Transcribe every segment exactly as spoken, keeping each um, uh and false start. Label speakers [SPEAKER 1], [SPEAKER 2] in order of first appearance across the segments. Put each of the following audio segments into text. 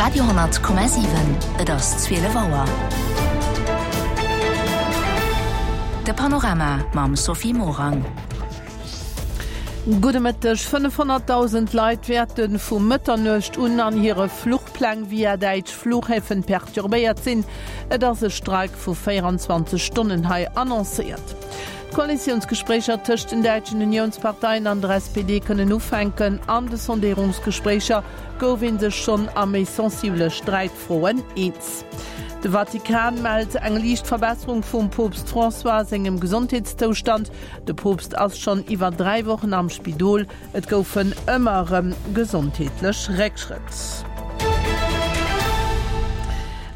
[SPEAKER 1] Radio honnert Komma siwen, Et ass zwielef Auer. De Panorama mam Sophie Morang.
[SPEAKER 2] Gudde Mëtteg. fënnefhonnertdausend Leit wäerte vu Mëtternuecht un an hire Fluchpläng via däitsch Fluchhäfen perturbéiert sinn. Et ass e Streik vu véierundzwanzeg Stonnen hei annoncéiert. D'Koalitiounsgespréicher tëscht den däitschen Uniounsparteien an der S P D kënnen ufänken. An de Sondéierungsgespréicher gouf ee sech schonn a méi sensibele Sträitfroen eens. De Vatikan mellt eng liicht Verbesserung vum Poopst François sengem Gesondheetszoustand. De Poopst ass schonn iwwer dräi Wochen am Spidol. Et goufen ëmmer erëm gesondheetlech Réckschrëtt.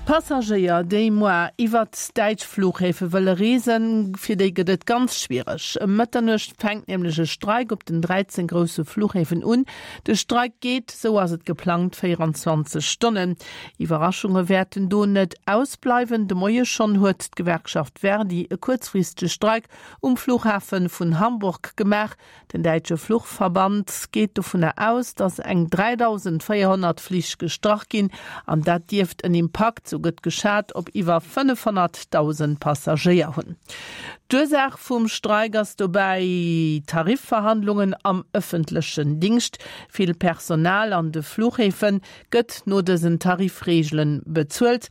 [SPEAKER 2] Passagéier, déi moar iwwert däitsch Flughäfe wëlle reesen, fir déi gëtt et ganz schwiereg. Ëm Mëtternuecht fänkt nämlech e Streik op den dräizéng grousse Flughäfen un. De Streik geet, sou ass et geplangt, véierundzwanzeg Stonnen. Iwwerraschunge wäerten do net ausbleiwen. De Moie schonn huet d'Gewerkschaft Verdi e kuerzfristege Streik um Flughafe vun Hamburg gemaach. Den däitsche Fluchverband geet dovunner aus, datt eng dräidausendvéierhonnert Flich gestrach ginn an dat dierft en Impakt, sou gëtt geschat, op iwwer fënnefhonnertdausend Passagéier hunn. D'Ursaach vum Streik ass dobäi Tarifverhandlungen am ëffentlechen Dingscht. Vill Personal an de Fluchhäfe gëtt no dësen Tarifreegele bezuelt.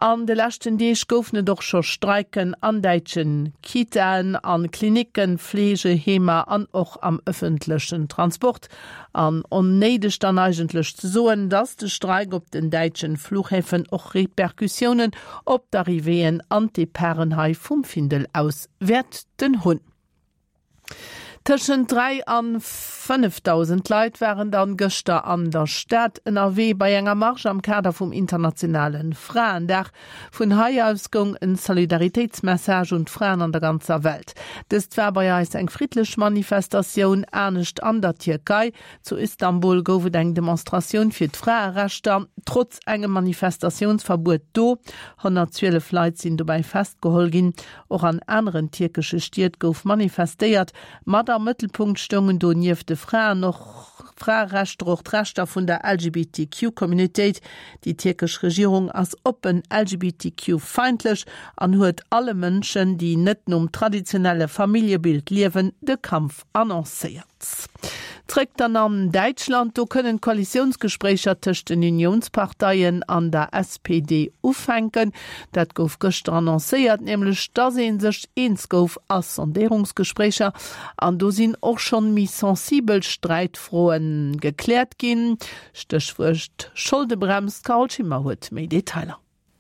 [SPEAKER 2] An de leschten Deeg goufen et och scho Streiken an däitsche Kitaen, a Klinicken, Fleegeheemer an och am ëffentlechen Transport. An onnéideg dann eigentlech ze soen, dass de Streik op den däitschen Fluchhäfen och Repercussiounen op d'Arrivéeën an d'Departen hei vum Findel aus wäerten hunn. Tëschent dräi an fënnefdausend Leit waren dann gëschter an der Stad ënnerwee bei enger Marsch am Kader vum internationale Fraendag. Vun hei aus goung en Solidaritéitsmessage un d'Fraen an der ganzer Welt. Dëst war bei eis eng friddlech Manifestatioun, anescht an der Tierkei. Zu Istanbul gouf et eng Demonstratioun fir d'Fraerechter, trotz engem Manifestatiounsverbuet do. honnertzwielef Leit sinn dobäi festgeholl ginn. Och an aneren tierkesche Stied gouf manifestéiert. Mat am Mëttelpunkt stoungen do nieft de Fraen och Fraerechter och d'Rechter vun der L G B T Q-Communautéit. Déi tierkesch Regierung ass oppen L G B T Q-feindlech an huet alle Mënschen, déi net nom traditionelle Familljebild liewen, de Kampf annoncéiert. Zréck dann an Däitschland, do kënnen d'Koalitiounsgespréicher tëscht den Unionsparteien an der S P D ufänken. Dat gouf gëschter annoncéiert, nämlech dass ee sech eens gouf a Sondéierungsgespréicher. An do sinn och schonn méi sensibel Sträitfroen gekläert ginn. Stéchwuert Scholdebrems. D'Carole Schimmer huet méi Detailer.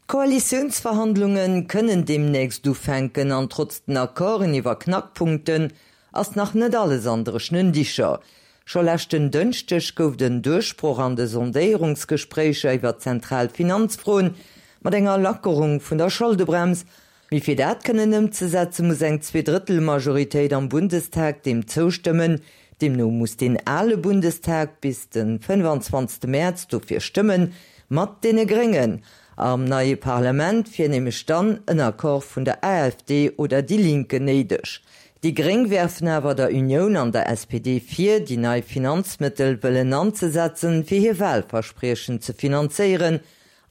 [SPEAKER 3] Koalitiounsverhandlungen kënnen deemnächst ufänken an trotz den Accorden iwwer Knackpunkten ass nach net alles an dréchenen Dicher. Scho leschten Dënschdeg gouf den Duerchbroch an de Sondéierungsgespréicher iwwer zentral Finanzfroen mat enger Lackerung vun der Scholdebrems. Mee fir dat kënnen ëmzesetzen, muss eng Zweedrëttelmajoritéit am Bundestag deem zoustëmmen. Deemno muss den ale Bundestag bis den fënnefanzwanzegste Mäerz dofir stëmmen, mat deene Gréngen. Am neie Parlament wier nämlech dann en Accord vun der A F D oder déi Linke néideg. Déi Gréng werfen awer der Unioun an der S P D vir, déi nei Finanzmëttel wëllen anzesetzen, fir hir Wahlverspriechen ze finanzéieren.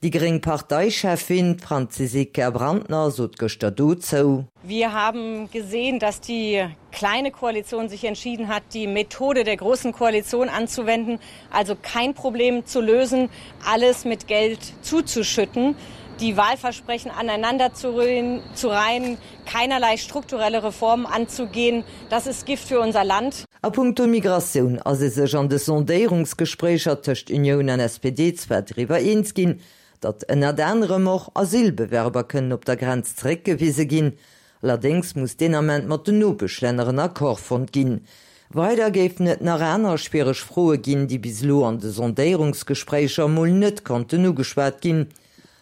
[SPEAKER 3] Déi gréng Parteichefin Franziska Brantner sot gëschter dozou.
[SPEAKER 4] Wir haben gesehen, dass die kleine Koalition sich entschieden hat, die Methode der großen Koalition anzuwenden, also kein Problem zu lösen, alles mit Geld zuzuschütten, die Wahlversprechen aneinander zu rühren, zu reihen, keinerlei strukturelle Reformen anzugehen. Das ist Gift für unser Land.
[SPEAKER 3] A puncto Migratioun ass e sech an de Sondéierungsgespréicher tëscht Unioun an S P D zwar driwwer eens ginn, datt ënnert anerem och Asylbewerber kënnen op der Grenz zeréckgewise ginn. Allerdéngs muss deen Ament mat den Nopeschlänner en Accord fonnt ginn. Weider géifen et nach aner schwiereg Froe ginn, déi bis elo an de Sondéierungsgespréicher mol net konnten ugeschwat ginn.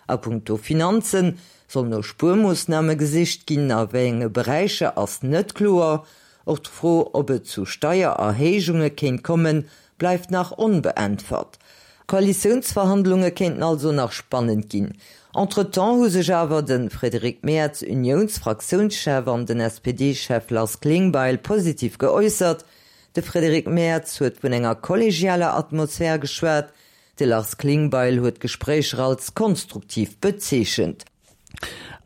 [SPEAKER 3] A puncto Finanzen soll no Spuermoossname gesicht ginn, a wéi enge Beräicher ass net kloer. Och d'Fro, ob et zu Steiererhéijunge kéint kommen, bleift nach onbeäntwert. Koalitiounsverhandlunge kéinten also nach spannend ginn. Entretemps hu sech awer den Frédéric Merz, Unionsfraktiounschef an den S P D-Chef Lars Klingbeil positiv geäussert. De Frédéric Merz huet vun enger kollegialer Atmosphär geschwat. De Lars Klingbeil huet d'Gespréicher als konstruktiv bezeechent.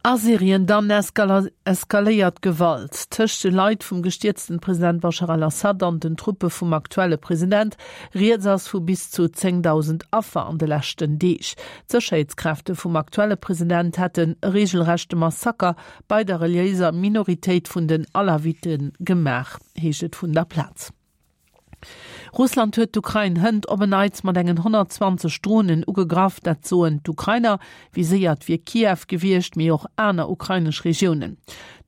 [SPEAKER 2] A Syrien dann eskaléiert d'Gewalt tëscht de Leit vum gestierzten President Bashar al-Assad an den Truppe vum aktuelle President. Rieds ass vu bis zu zéngdausend Affer an de leschten Deeg. D'Sécherheetskräfte vum aktuelle President hätten e reegelrechte Massaker bei der reliéiser Minoritéit vun den Alawite gemaach, heescht et vun der Plaz. Russland huet d'Ukrain hënt op en Neits mat engen honnertzwanzeg Dronen ugegraff, dat soen d'Ukrainer. Viséiert wier Kiew gewiescht, mee och aner ukrainesch Regiounen.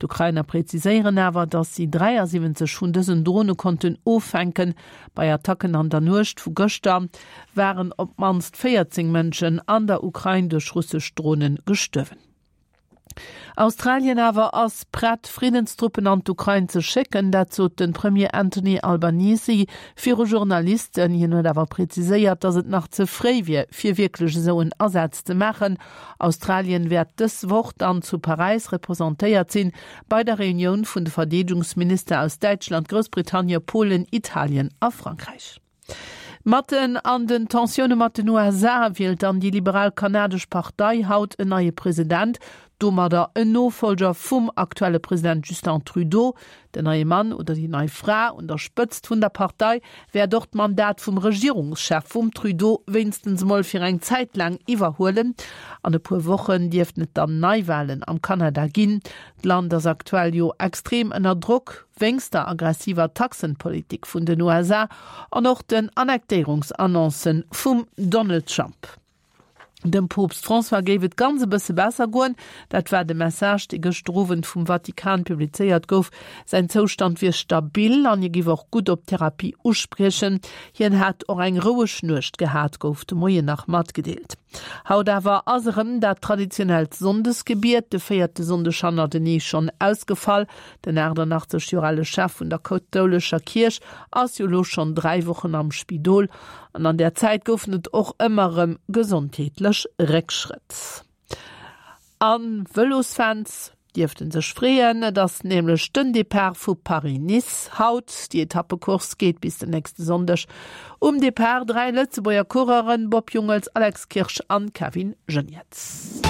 [SPEAKER 2] D'Ukrainer präziséieren awer, datt si dräiasiwwenzeg vun dësen Drone konnten offänken. Bei Attacken an der Nuecht vu gëschter waren op d'mannst véierzéng Mënschen an der Ukrain duerch russesch Drone gestuerwen. Australien awer ass prett, Friddenstruppen an d'Ukrain ze schécken. Dat sot de Premier Anthony Albanese viru Journalisten. Hien huet awer präziséiert, datt et nach ze fréi wier, fir wierklech esou en Asaz ze maachen. Australien wäert dës Woch dann zu Paräis representéiert sinn, bei der Reunioun vun de Verdeedegungsminister aus Däitschland, Groussbritannien, Polen, Italien a Frankräich. Matten an den Tensioune mat den U S A wielt dann déi liberal kanadesch Partei haut en neie President, domadder en Nofollger vum aktuelle President Justin Trudeau. Den neie Mann oder déi nei Fra un der Spëtzt vun der Partei wäert och d'Mandat vum Regierungschef vum Trudeau wéinstens emol fir eng Zäit laang iwwerhuelen. An e puer Wochen dierften et dann Neiwalen am Kanada ginn. D'Land ass aktuell jo extrem ënner Drock wéinst der aggressiver Taxenpolitik vun den U S A an och den Annektéierungsannoncen vum Donald Trump. Dem Poopst François géif et ganz e bësse besser goen. Dat war de Message, dee gëschter Owend vum Vatikan publizéiert gouf. Säin Zoustand wier stabil an hie géif och gutt op d'Therapie uspriechen. Hien hätt och eng roueg Nuecht gehat, gouf de Moien nach matgedeelt. Haut awer ass erëm dat traditionellt Sonndesgebiet, de véierte Sonndeg hannertenee schonn ausgefall. Den achtannachtzeg Joer ale Chef vun der kathoulescher Kierch ass jo elo schonn dräi Wochen am Spidol. An an där Zäit goufen et och ëmmer erëm gesondheetlech Réckschrëtt. A Vëlosfans dierften sech freeën, et ass nämlech den Depart vu Paris-Nice haut. Déi Etappecourse geet bis den nächste Sonndeg. Um Depart dräi Lëtzebuerger Coureuren, Bob Jungels, Alex Kirsch an Kevin Geniets.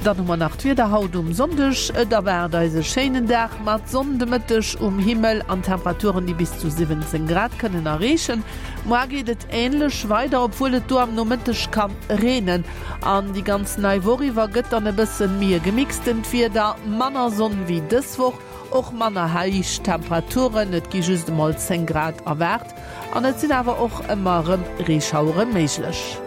[SPEAKER 2] Dann hu mer nach d'Wieder haut um Sonndeg. Et erwaart eis e schéinen Dag mat Sonn de Mëtteg um Himmel an Temperaturen, déi bis zu siwwenzéng Grad kënnen erreechen. Moar geet et änlech weider, obwuel et do am Nomëtteg kann reenen. An déi ganz nei Woch iwwer gëtt dann e bësse méi e gemixtent Wieder, manner Sonn wéi dës Woch, och manner héich Temperaturen, et gi just emol zéng Grad erwaart an et sinn awer och ëmmer erëm Reeschauere méiglech.